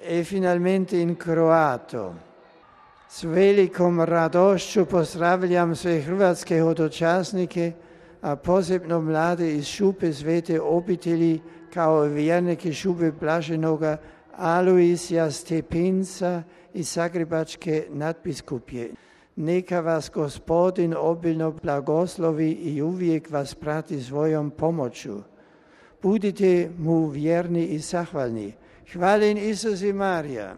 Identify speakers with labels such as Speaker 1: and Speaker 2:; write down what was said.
Speaker 1: e finalmente in kroato. S velikom radošću pozdravljam sve hrvatske hodočasnike, a posebno mlade iz Šupe Svete obitelji kao vjernike Šupe Blaženoga Alojzija Stepinca iz Zagrebačke nadbiskupije. Neka vas Gospodin obilno blagoslovi i uvijek vas prati svojom pomoću. Budite mu vjerni i zahvalni. Hvaljen Isus i Marija.